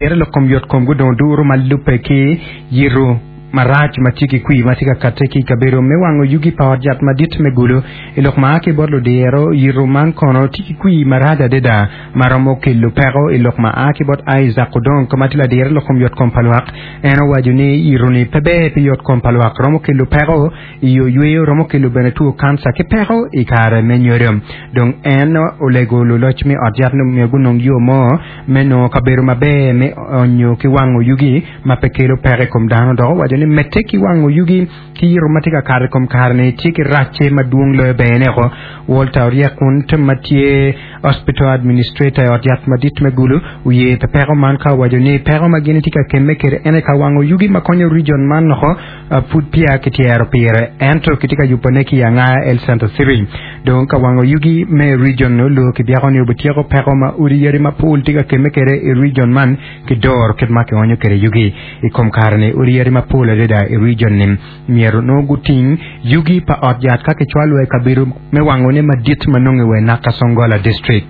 Ere lok kom yotkom gudongo duru ma lubbe ki yito marac ma tye ki kwir ma tye ka katte ki i kabedo me wango yugi pa ot yat madit me Gulu. I lok ma a ki bot ludiro, yito man kono tye ki kwir marac adada ma romo kelo peko. I lok ma a ki bot Isaac Odong ma tye ladiro i lok kom yotkom pa lwak, en owaco ni yito-ni pe ber pi yotkom pa lwak, romo kelo peko i yo yweyo, romo kelo bene two kanca ki peko i kare me nyodo. Dong en olego luloc me ot yat ni myero gunong yo mo me nongo kabedo maber me onyo ki wango yugi ma pe kelo peko i kom dano. Dok owaco ni medde ki wango yugi ki yito ma tye ka kato i kom kare-ni tye ki racce madwong loyo berne oko. Walter Oryekunt ma tye Hospital Administrator i ot yat madit me Gulu oye pi peko man ka owaco ni peko ma gin gitye ka kemme kwede en aye ka wango yugi ma konyo region man oko pud peya kityero pire ento kitye ka yubone ki i Angaya Health Center City. Dong ka wango yugi me region olu kibyeko ni obityeko peko ma odi yadi mapol tye ka kemme kwede i region man ki doro kit ma kionyo kwede yugi. I kom kare-ni odi yadi mapol adada i region-ni myero nongo guting yugi pa ot yat ka kicwalo wa i kabedo me wangone madit ma nonge wa i Nakasongola District.